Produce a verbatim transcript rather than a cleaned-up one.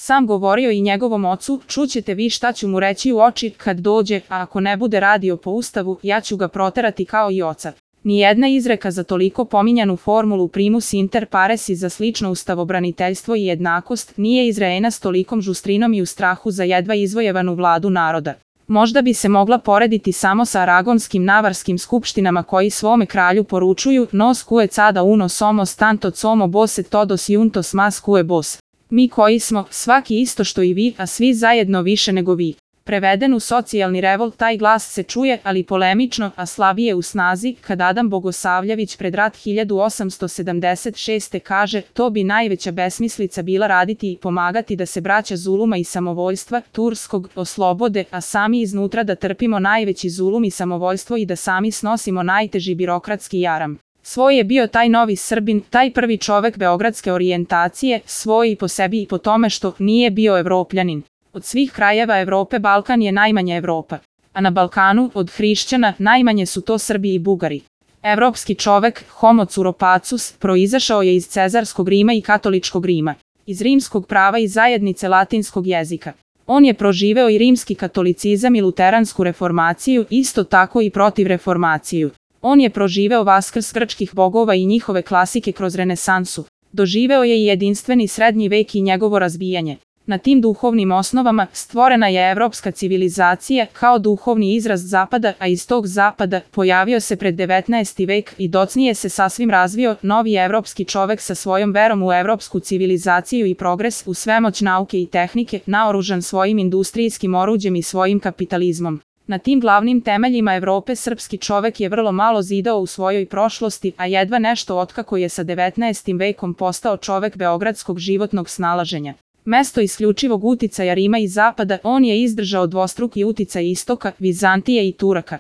Sam govorio i njegovom ocu, čućete vi šta ću mu reći u oči kad dođe, a ako ne bude radio po ustavu, ja ću ga proterati kao i oca. Nijedna izreka za toliko pominjanu formulu primus inter pares i za slično ustavobraniteljstvo i jednakost nije izrečena s tolikom žustrinom i u strahu za jedva izvojevanu vladu naroda. Možda bi se mogla porediti samo sa aragonskim navarskim skupštinama koji svome kralju poručuju nos cue cada uno somos tanto somo bos et todos juntos mas cue bos. Mi koji smo, svaki isto što i vi, a svi zajedno više nego vi. Preveden u socijalni revolt taj glas se čuje, ali polemično, a slabije u snazi, kad Adam Bogosavljević pred rat hiljadu osamsto sedamdeset šeste kaže, to bi najveća besmislica bila raditi i pomagati da se braća zuluma i samovoljstva, turskog, oslobode, a sami iznutra da trpimo najveći zulum i samovoljstvo i da sami snosimo najteži birokratski jaram. Svoj je bio taj novi Srbin, taj prvi čovek beogradske orijentacije, svoj i po sebi i po tome što nije bio Evropljanin. Od svih krajeva Evrope Balkan je najmanja Evropa, a na Balkanu, od hrišćana, najmanje su to Srbi i Bugari. Evropski čovek, homo curopacus, proizašao je iz cezarskog Rima i katoličkog Rima, iz rimskog prava i zajednice latinskog jezika. On je proživeo i rimski katolicizam i luteransku reformaciju, isto tako i protivreformaciju. On je proživeo vaskrs grčkih bogova i njihove klasike kroz renesansu. Doživeo je i jedinstveni srednji vek i njegovo razbijanje. Na tim duhovnim osnovama stvorena je evropska civilizacija kao duhovni izraz zapada, a iz tog zapada pojavio se pred devetnaesti vek i docnije se sasvim razvio novi evropski čovek sa svojom verom u evropsku civilizaciju i progres, u svemoć nauke i tehnike, naoružan svojim industrijskim oruđem i svojim kapitalizmom. Na tim glavnim temeljima Evrope srpski čovek je vrlo malo zidao u svojoj prošlosti, a jedva nešto otkako je sa devetnaestim vekom postao čovek beogradskog životnog snalaženja. Mesto isključivog uticaja Rima i Zapada, on je izdržao dvostruki uticaj Istoka, Vizantije i Turaka.